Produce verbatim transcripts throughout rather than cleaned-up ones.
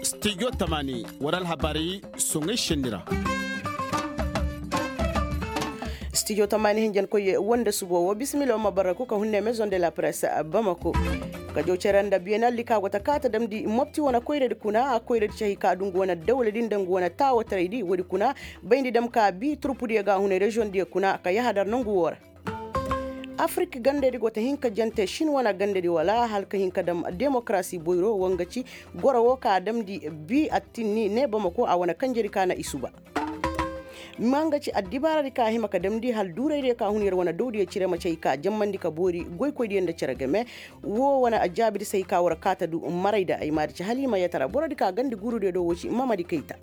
Stijo tamani war alhabaari soŋay senni ra. Stijo tamani hinjankoy wande subo wo bisimila wo ma barraku ka hunne maison de la presse bamako. Ka jaw cere nda biyenaldi ka go ta kaata damndi mopti wane koyradi kuna koyradi cahi ka du ngu wane dawladi nda ngu wane taawataraydi woodi kuna. Bayndi dam ka bi turpudiyo ga a hunay reziyoŋdiyo kuna ka yahadar nongu wo ra. Afirik gandaydi go ta hin ka jante sin wane gandaydi wala hala ka hin ka dam demokarasi boyro wo nga ci goro wo ka a damndi bi attinni ne bamako a wane kanjedi ka na i suba. Ma nga ci addibaaradi ka a hima ka damndi hala duuraydiyo ka hun yer wane dawdiyo cire ma ci hay ka jammandi ka boori goykoydiyo nda cere game. Wo wane a jaabidi se hay ka war kaata du maray da ay maadi ci hala i ma yatara borodi ka gandi guurudiyo do wo ci mamadi kayta.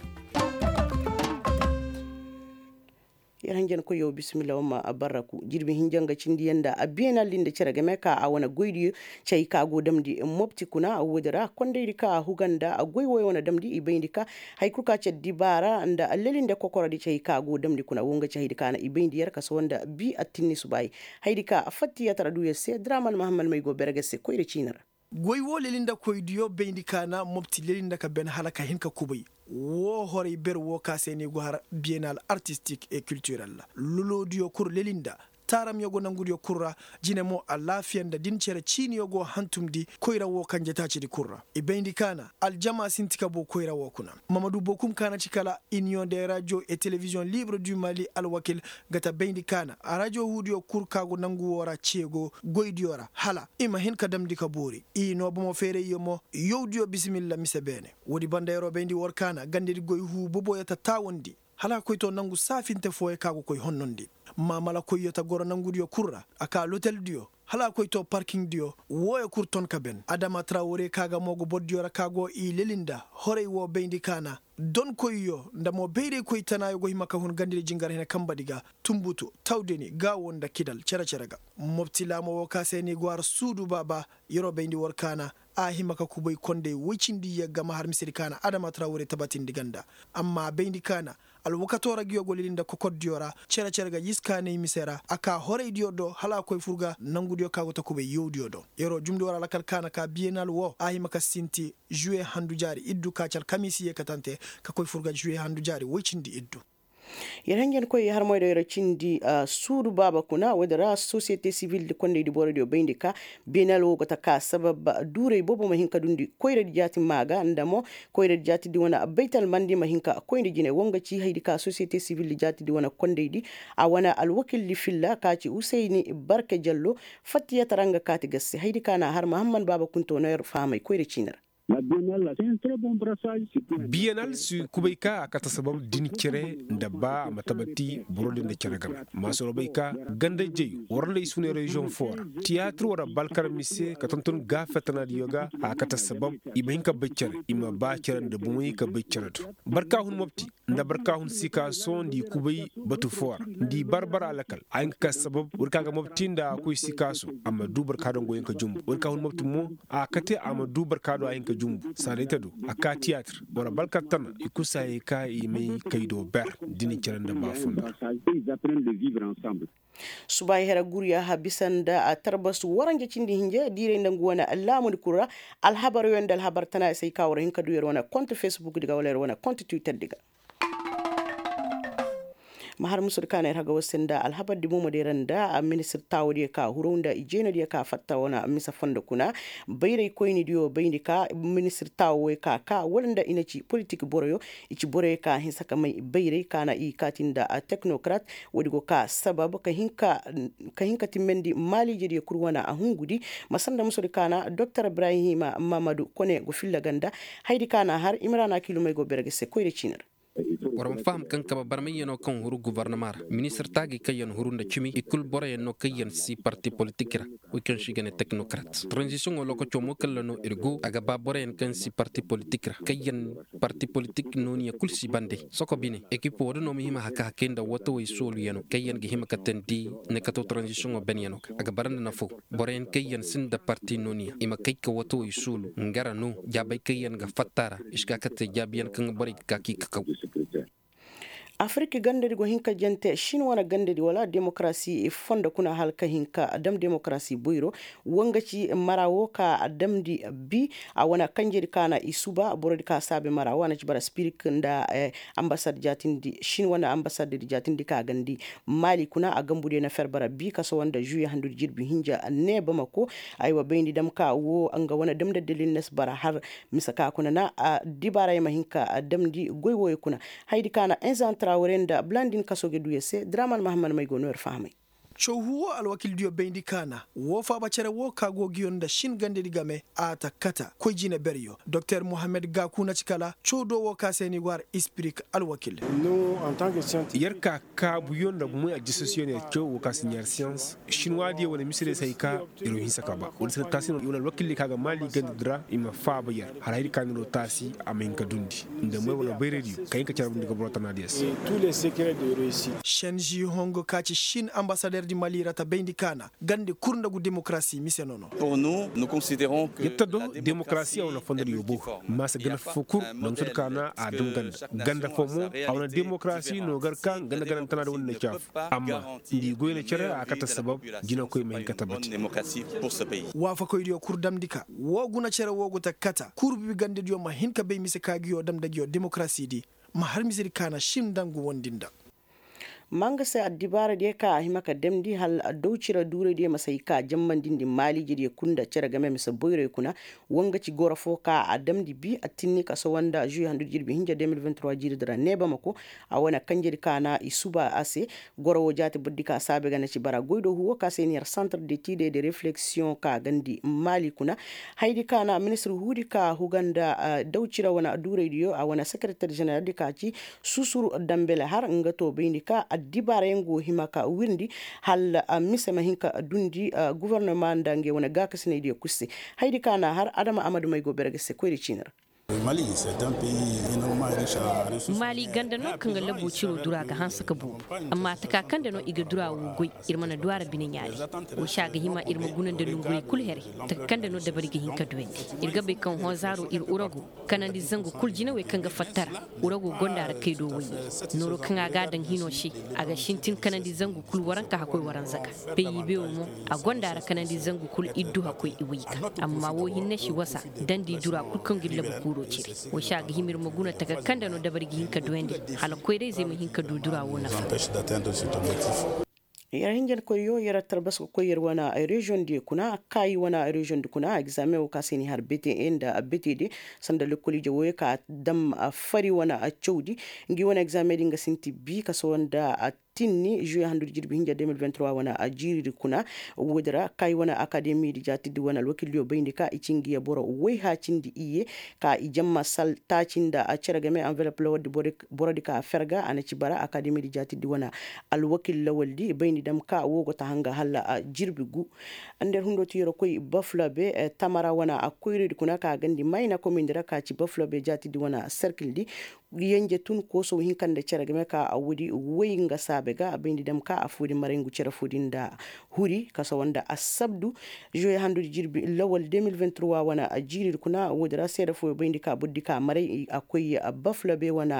Yer hanjankoyyo bisimilla wamma barraku jirbi hinja nga cindiyaŋ nda a beenaldi nda cere game ka a wane goydiyo. Cay ka go damndi mopti kuna woodi ra kondaydi ka a huga nda goy woyo wane damndi i bayndi ka. Hay kul ka ci addibaara nda lelinde kokorodi cay ka go damndi kuna wo nga ci haydi ka na i bayndi yer ka sohõ nda bi attinni subaay. Haydi ka fattiyatara duuyer se draman mahamman may go berge se koyra ciini ra. Goy wo lelinda koydiyo bayndi ka na mopti lelinda ka ben hala ka hin ka kubay. Wo horay ber wo ka se ni go har biyenal artistik e kiltirel ra lolodiyo kul lelinda taaramyo go nangudiyo kul ra. Jine mo alaafiya nda din cere ciiniyo go hantumndi koyra wo kanje taacidi kul ra i bayndi ka na aljama sinti ka boo koyra wo kuna. Mamadu bokum ka na ci kala iniyoŋ de rajo e telebiziyoŋ libre du mali alwakil ga ta bayndi ka na rajo huudiyo kul ka go nangu wo ra ceego goydiyo ra hala i ma hin ka damndi ka boori. I noo bomo feerayyo mo yawdiyo bisimilla mise beene. Woodi banda yer'o bayndi war ka na gandedi goy huu boboyo ta taawandi hala a koy to nangu saafinte fooyo ka go koy honnondi. Maamalakoyyo ta goro nangudiyo kul ra a kaa loteldiyo hala a koy to parkiŋdiyo. Wooyo kul ton ka ben adama tarawre ka ga mo go bordiyo ra ka go i lelinda horay wo bayndi ka na donkoyyo nda mo bayraykoy tanaayo go hima ka hun gandedi jingar hene kambadi ga. Tumbutu tawdeni gaawo nda kidal cere-cere ga. Mopti laamo wo ka se ni go har suudu baaba yer'o bayndi war ka na a hima ka kubay konday woy cindi yagga ma har misedi ka na adama tarawre tabatindi ganda. Amma a bayndi ka na alwakato ra nguyo go lili nda kokordiyo ra cere-cere ga yiskaanay mise ra a kaa horaydiyo do hala a koy fur ga nangudiyo ka go ta kubay yawdiyo do. Yer'o jumndi war alakal ka na ka biyenal wo a hima ka sinti juwe handu jaari iddu ka ci alkamiisiye katante ka koy fur ga juwe handu jaari woy cindi iddu. Yer hanjankoy harmoyda yer cindi suudu baaba kuna woodi ra sosiyete sivildi kondaydi borodiyo bayndi ka beenal wo go ta ka sabab duuray boobo ma hin ka dundi koyradi jaati maa ga nda mo koyradi jaatidi wane baytal mandi ma hin ka koyndi jine wo nga ci haydi ka sosiyete sivildi jaatidi wane kondaydi a wane alwakildi filla ka ci husayni barka jallo. Fattiyatara nga kaati ga se haydi ka na har mahamman baaba kunto no yer fahamay koyra ciini ra. Biyenal si kubay ka a kate sabab din cere nda ba a ma tabati boro din nda cere game. Maasoro bay ka ganda jay war nda i si hunay reziyoŋ foo ra tiyaatir war balkar mise ka tonton gaafetanaadiyo ga a kate sabab i ma hin ka bay cere i ma ba cere nda bomey ka bay cere do. Barka hun mopti nda barka hun sikaaso nda i kubay batu foo ra nda i bar bar alakal a hin ka ka sabab war ka ga mopti nda a koy sikaaso a ma du barka do nga hin ka jumbu war ka hun mopti mo a kate a ma du barka do a hin ka jumbu saadayta do a ka tiyaatir war balkar tana i kul si hayey ka i may kay do ber da ni cere nda baafundo. Subaay hera gurya ha bisa nda tarbas waranja cindi hinja diiray nda ngu wane laamudi kul ra. Alhabaryo nda alhabar tana i se ay ka war hin ka du yer wane kont fesbukdi ga wala yer wane kont twitterdi ga. Ma har musudi ka na ir haga war se nda alhabardi bomo day ra nda ministir taawodiyo ka huru nda i jeenodiyo ka fatta wane mise fondo kuna. Bayraykoynidiyo bayndi ka ministir taawo wey ka ka wala nda i na ci politik boroyo i ci boroyo ka hinsa ka may bayray ka na i kaati nda teknokrat. Woodi go ka sabab ka hin ka timmandi maaliijediyo kul wane a hungudi. Ma sanda musudi ka na doktor ibrahima mamadu kone go filla ganda. Haydi ka na har imrana kilumey go berge se koyra ciini ra. War ma faham kaŋ kaba barmayyanoo kaŋ huru guvarnama ra ministir taagay kaŋ yaŋ huru nda cimi i kul boroyaŋ no kaŋ yaŋ si parti politik ra. Wey kaŋ se i ga ne teknokrat tranzisiyoŋo lookacoo mo kalla no ir go a ga ba boroyaŋ kaŋ si parti politik ra kaŋ yaŋ parti politik nooniya kul si bande soko bine ekipo wo- din no ma hima haka hakay nda watawey sooluyaŋo kaŋ yaŋ ga hima ka teendi ne kato tranzisiyoŋo benyaŋo ga a ga bara nda nafo. Boroyaŋ kaŋ yaŋ sinda parti nooniya i ma kay ka watawey suulu nga ra no jaabey kaŋ yaŋ ga fatta ra i si ka ka te jaabiyaŋ kaŋ ga borey ga ka k'i kakaw. Afirik gandadi go hin ka jante shin wane gandadi wala demokarasi fondo kuna hala ka hin ka dam demokarasi boyro. Wo nga ci mara wo ka a damndi bi. A wane kanjedi ka na i suba borodi ka saabe mara wo a na ci bara spirik nda ambasad jaatindi shin wane ambasad jaatindi ka gandi maali kuna a gambudiyo na fer bara bi kaso wanda žuye handudi jirbi hinja ne bamako. Aywa bayndi dam ka wo nga wane damndi dalil na si bara har mise ka kuna na a dibaara ya ma hin ka damndi goy wooyo kuna. Hayadi ka na enza traore nda blandin kaso ga du ya se draman mahammad may go no yer fahamay. Cawhu wo alwakildiyo bayndi ka na wo faaba cere wo ka go ga yor nda shin gandedi game a ta kata koy jine beryo. Doktor mohammed gaku na ci kala cawdo wo ka se ni go har ispirik alwakil. Yer ka kaabuyo nda moy ajisosiyoŋ yer caw wo ka si ɲaari siyans shinwaadiyo wala misediyo si hay ka yer wo hinsa ka ba wala si ka taasi no wala alwakildiyo ka ga maali gandedi ra i ma faaba yer hala hayadi ka ni ro taasi a ma hin ka dundi nda moy wala bayraydiyo ka hin ka cere bundi ga boro tanaadiyo se. Senži hongo ka ci shin ambasaderdi mali ra ta bayndi ka na gande kurndagu demokarasi mise nono. Yer ta do demokarasi a wane fondodiyo bo maasa ganda fo kul nda musudi ka na a dum ganda ganda fo mo a wane demokarasi no gar ka ganda ganda tanaadi wane na caafu amma nda i goy na cere a kate sabab jinakoy ma hin ka tabbati. Waafakoydiyo kul damndi ka wo guna cere wo go ta kata kurbibi gandediyo ma hin ka bay mise ka nguyo dam nda nguyo demokarasidi ma har misedi ka na shin nda ngu wondi nda. Ma nga se addibaaradiyo ka a hima ka damndi hala dawcira duuraydiyo ma si hay ka jammandindi maaliijediyo kul nda cere game mise boyroyo kuna. Wo nga ci goro fo ka a damndi bi a tinni kaso wanda žuye handu jirbi hinja deux mille vingt trois jiiridi ra ne bamako. A wane kanjedi ka na i suba a se goro wo jaati burdi ka saabe ga na ci bara goy do huwo ka se ni yer santre de tide de refleksiyoŋ ka gandi maali kuna. Hayadi ka na ministir huudi ka huga nda dawcira wane duuraydiyo a wane sekereter ženeraldi ka ci susur dambele har nga to bayndi ka addibaarayaŋ go hima ka wirndi hala mise ma hin ka dundi gofornoma nda ngey wane gaakasinaydiyo kul se. Hayadi ka na har adama amadu may go bere ga se koyra ciini ra. Mali ganda no kaŋ ga labu ciro dura ga hanse ka boobo. Amma taka kaŋ da no i ga dura wo goy ir mana du a ra bine ɲaari. Wo se a ga hima ir ma guna nda nonguray kul here taka kaŋ da no dabari ga hin ka duyandi. Ir ga bay kaŋ hõ zaaro ir urago kanandi zangu kul jinawey kaŋ ga fatta ra. Urago gonda ra kay do wayye. Nooro kaŋ a ga a daŋ hino se a ga sintin kanandi zangu kul waranka hakkoy waranza ga. Peyi beewo mo a gonda ra kanandi zangu kul iddu hakkoy iway ga. Amma wo hinne si wasa dandi dura kul kaŋ ga ir labu kuuro cire. Wo se a ga hima ir ma guna taka kaŋ da no dabari ga hin ka duyandi hala koyra-izey ma hin ka du dura wo nafa. Yer hinjankoyyo yer tarbas ga koy yer wane reziyoŋ diyo kuna kaayi wane reziyoŋ di kuna egzaameŋ wo ka se ni har bete nda bete de sanda lekkol ije wooyo ka dam fari wane cawdi. Ngi wane egzaameŋ di nga sinti bi kaso nda tinni žuye handu di jirbi hinja deux mille vingt trois wane jiiridi kuna. Woodi ra kaayi wane akademi di jaati di wane alwakil diyo bayndi ka i ci ngi ye boro woy haacindi iyye ka i jamma sal taaci nda cere game anvelop lawal di boro di ka ferga a na ci bara akademi di jaati di wane alwakil lawal di bayndi dam ka wo go ta hanga hala jirbi gu. Nda yer hundo ti yer koy bafulabe tamara wane koyridi kuna ka gandi mayna komindi ra ka ci bafulabe jaati di wane serkil di. Yenje tun koosow hinka nda cere game ka a woodi woy nga saabe ga a bayndi dam ka affoo di maray ngu cere foo di nda huri kasawa nda assabdu. Žuwe handudi jirbi lawal deux mille vingt trois wane jiiridi kuna woodi ra seede fooyo bayndi ka borodi ka maray a koy bafulabe wane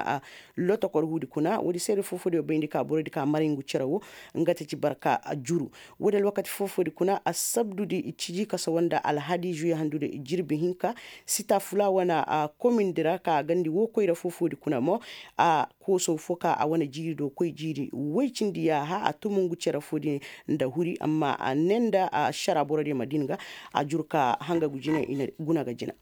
lotokor huudi kuna woodi seede foo-foodiyo bayndi ka borodi ka maray ngu cere wo. Nga ta ci barka juru. Woodi alwakati foo-foodi kuna assabdudi ciji kasawa nda alhadi žuwe handudi jirbi hinka. Sita fula wane komindi ra ka gandi woo koyra foo-foodi kuna mo. A koosow foo ka a wane jiiri do koy jiiri woy cindi yaaha a tumu ngu cere foodi nda huri amma a ne nda ašara borodiyo ma din ga. A juru ka hanga ngu jina i na guna ga jina.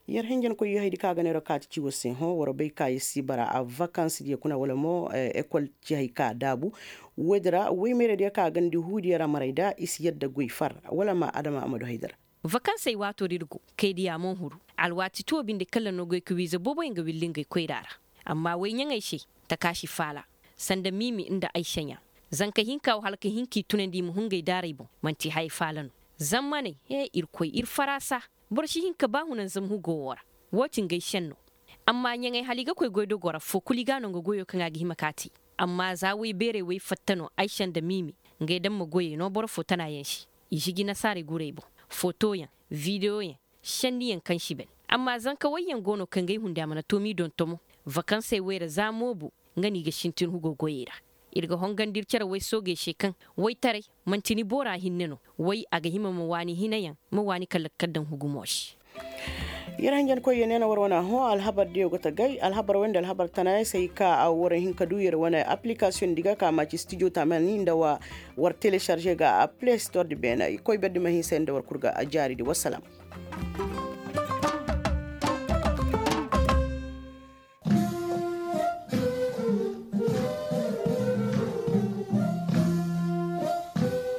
Yer hinjankoyyo hayadi ka ga neeroo kaati ciwo se hõ war bay ka yer si bara a vakansidiyo kuna wala mo ekol ci hay ka daabu. Woodi ra woy meeradiyo ka gandi huudiyo ra maray nda i si yadda goy far wala ma adama a ma du hayda ra. Vakansey waatoo din go kay diya man huru. Alwaati tuwo binde kala no goy ka wiiza booboyaŋ ga willi ngey koyra ra. Amma woy ɲaŋey se, takaasi faala, sanda miimi nda ay saɲa. Zanka hinka wo hala ka hin k'i tunandi i ma hun ngey daarey boŋ. Man'ti haya faala no. Zammaney hee irkoy ir faraasa. Boro si hin ka ba hunanzam hugo wo ra. Woo ti ngey senno. Amma ɲaŋey hala i ga koy goydogoo ra foo kul i ga a no nga goyoo kaŋ a ga hima k'a te. Amma za woy beerey woy fatta no ay senda miimi. Ngey damma goyey no boro foo tanaayaŋ se. I si gi nasaarey gurey boŋ. Fotoyaŋ, videwoyaŋ, senniyaŋ kaŋ si ban. Amma zanka wayyaŋ go no kaŋ ga ay hunde a mana toomi dontomo. Vakansey wayra za moobu nga no i ga sintin hugo goyey ra. Ir ga hongandi ir cere way soogey se kaŋ waytaray manti ni boora hinne no. Way a ga hima ma waani hinayaŋ, ma waani kala ga kar daŋ hugumo se. Yer hanjankoy yer ne na war wane hõ alhabar diyo ga tagay alhabar way nda alhabar tanayaŋ se ay ka war hin ka du yer wane application di ga ka ma ci studio tamani nda wa war télécharger ga a play store di beena i koy berdi ma hinsa yer nda war kul ga a jaari di wassalam.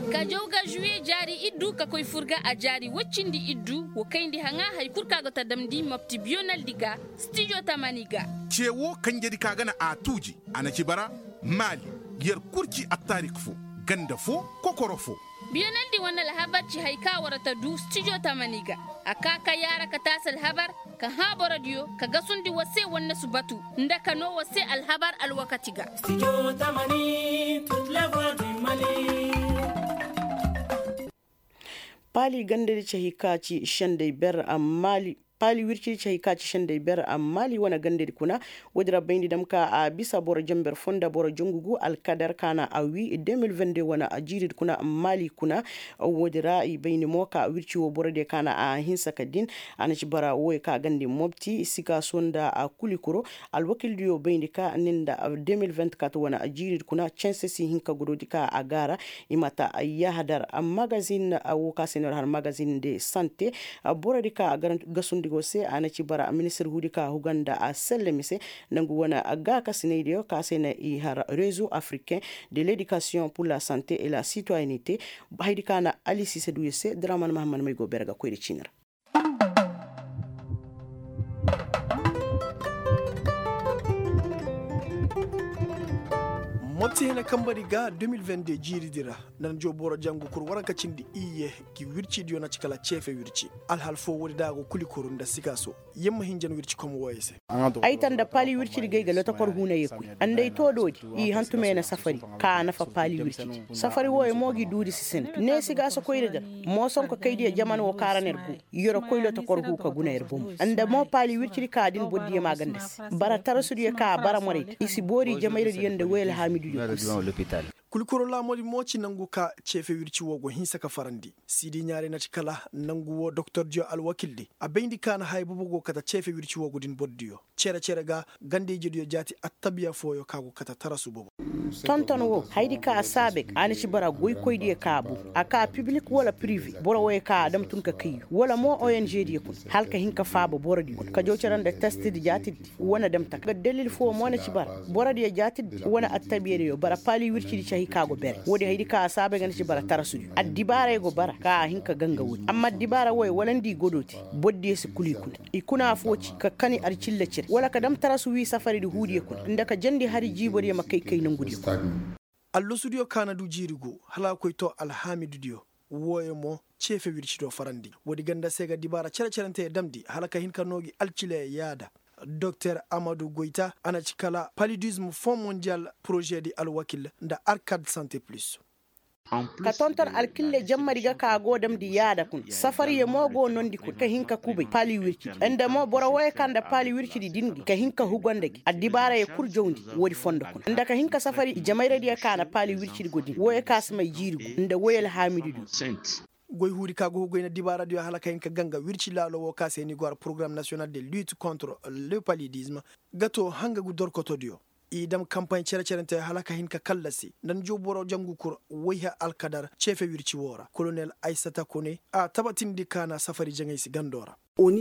Ka jaw ga žuwiye jaari iddu ka koy fur ga a jaari woy cindi iddu wo kayndi haŋa hari kul kaŋ a go ta damndi mopti biyonaldi ga. Stijo tamani ga. Ce wo kanjedi ka gana a tuuji a na ci bara maali yer kul ci attaarik fo ganda fo kokoro fo. Biyonaldi wane alhabar ci hari ka war ta du stijo tamani ga. A ka ka yaara ka taasi alhabar ka hã borodiyo ka gasundi war se wannasu batu nda ka noo war se alhabar alwakati ga. Paali gandadi ci hari ka ci sendey ber amma paali wircidi ci hari ka ci sendey ber amma maali wane gandadi kuna. Woodi ra bayndi dam ka a bisa boro jenber fo nda boro jangu gu alkadar ka na a wii de mil vende wane jiiridi kuna amma maali kuna. Woodi ra i bayndi mo ka wirci wo borodiyo ka na a hinsa ka din. A na ci bara wooyo ka gandi mobti sikaaso nda kulikuro. Alwakildiyo bayndi ka ni nda de mil vente kat wane jiiridi kuna cense si hin ka godoodi ka a gaara. I ma ta yahadar magazin wo ka se no ra har magazin de sante. Borodi ka a gasundi go se a na ci bara ministir huudi ka huga nda a selle mise. Nangu wane gaakasinaydiyo ka se na i har rezo africain de ledikasiyoŋ pur la sante et la sitoyenite. Haydi ka na ali sise duuyo se draman mahammad may go bere ga koy nda ciini ra. Mopti hina kambari ga de mil vende jiiridi ra. Nan jo boro jangu kul waranka cindi iyye. Gi wircidiyo na ci kala ceefe wirci alhal fo woodi da a go kuli kuru nda sikaaso. Yamma hinjan wirci kom wooyo se. Ay ta nda paali wircidi ga ay ga lotokor huuna ye koy. Nda ay too doodi i hantumey na safari ka a nafa paali wircidi. Safari wooyo mo gi duudi si sinda ne sigaaso koyri ga. Moosonko kaydiyo jaman wo kaŋ ra no yer go. Yer koy lotokor huu ka guna yer bomo nda mo paali wircidi ka din bordiyo ma ganda se. Bara tarasudiyo ka a bara morey da i si boori jamayradiyo nda woy alhaamidudiyo. Kuli koro laamoodi mo ci nangu ka ceefe wirci woo go hinsa ka farandi. Siidi ɲaaray na ci kala nangu woo doktordiyo alwakildi a bayndi ka na haya boobo go kate ceefe wirci woo go din bordiyo. Cere cere ga ganda-ijediyo jaati attabiya fooyo ka go kate tarasu boobo. Tonton woo hayadi ka a saabe ga a na ci bara goykoydiyo ka a boobo a ka pibilik wala pirive boro wooyo ka a dam tun ka kayyu wala mo ong diyo kuna hala ka hin ka faaba borodiyo kuna ka jaw cere nda testidi jaatidi. Wane dam taka dalil foo mo na ci bara borodiyo jaatidi wane attabiyadiyo bara paali wircidi ci hay ka go bere woodi hayadi ka a saabay ga na ci bara tarasudiyo addibaaray go bara ka a hin ka ganga woodi amma addibaara wooyo wala nda i godoo te. Borodiyo si kul i kuna i kuna afoo ci ka kani alcilla cire wala ka dam tarasu wii safaridi huudiyo kuna nda ka jandi hari jiibodiyo ma kay kay nongudiyo kuna. Allasudiyo kaana du jiiri guu hala a koy too alhaamidudiyo. Wooyo mo ceefe wircidiyo farandi woodi ganda se ga dibaara cere-cerenteyo damndi hala ka hin ka noo gi alcileyo yaada. Doktor amadu goyta a na ci kala palidism fond mondial porožedi alwakil nda arkad sante plus. Ka tonton alkille jammadi ga ka a go damndi yaada kuna safariyo mo go noondi kuna ka hin ka kubay paali wircidi nda mo boro wooyo ka nda paali wircidi din gi ka hin ka hugo nda gi addibaarayo kul jawndi. Woodi fondo kuna nda ka hin ka safari jamayradiyo ka na paali wircidi go din wooyo ka si may jiiri gu nda woy alhaamidu diyo. Goy huudi ka go hugoy na dibaaradiyo hala ka hin ka ganga wirci laalo woo ka se ni go har porogaram nasiyonal de lutte contre le palidisme. Ga too hanga gu dorkotodiyo i dam kampay cere-cerente hala ka hin ka kallasi nda ni jow boro jangu kur wayha alkadar ceefe wirci woo ra kolonel aysata kone a tabatindi ka na safari jaŋay si gandoo ra.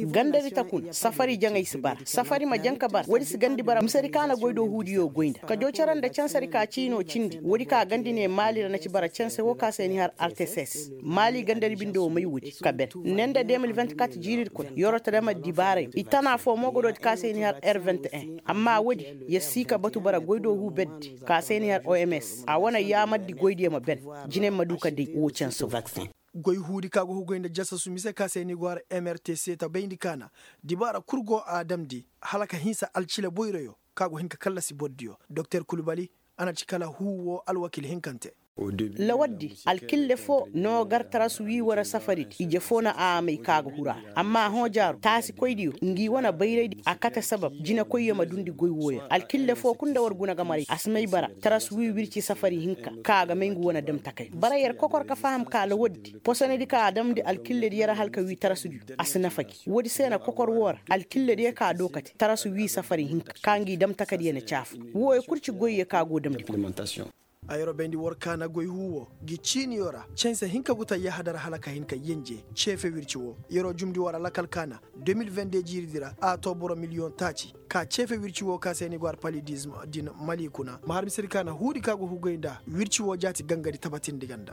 Gandadi ta kuna safari jaŋay si bara safari ma jaŋ ka bara woodi si gandi bara misedi ka na goy do huudiyo goy nda ka jow cere nda cansedi ka ciinoo cindi woodi ka gandi ne maali ra na ci bara canse woo ka se ni har arteses maali gandadi binde woo may woodi ka ben ne nda de mil vingt-kat jiiridi kuna yeroo ta dam addibaarayo i tana foo mo godoodi ka se ni har r vingt-un amma woodi yer si ka batu bara goy do huu beddi ka se ni har oms a wane yaamardi goydiyo ma ben jinay ma du ka day woo canse woo. Goy huudi ka go hugoy nda jasasu mise ka se ni go har mrtc ta bayndi ka na dibaara kul go a damndi hala ka hinsa alcila boyroyo ka go hin ka kallasi bordiyo doktor kulbali a na ci kala huu woo alwakil hinkante. Lawaddi alkille foo noo gar taras wii war safaridi ije foo na a may ka ga huru a ra amma a hõ jaaru taasikoydiyo ngi wane bayraydi a kate sabab jinekoyyo ma dundi goy wooyo ra alkille foo kul nda war guna ga maray a si may bara taras wii wirci safari hinka ka a ga may ngu wane damtakay bara yer kokor ka faham ka lawaddi posonedi ka a damndi alkilledi yer hala ka wii tarasdiyo a si nafa gi woodi se na kokor woo ra alkillediyo ka a doo kate taras wii safari hinka ka ngi damtakadiyo na caafu wooyo kul ci goyyo ka go damndi. Ay robayndi war kaana goy huu woo gi ciiniyo ra canse hinka gu ta yahadar hala ka hin ka yenje ceefe wirci woo yeroo jumndi war alakal kaana deux mille vingt deux jiiridi ra a too boro miliyoŋ taaci ka ceefe wirci woo ka se ni go ar palidism din mali kuna ma har misedi kaana huudi ka go hugay nda wirci woo jaati gangadi tabatindi ganda.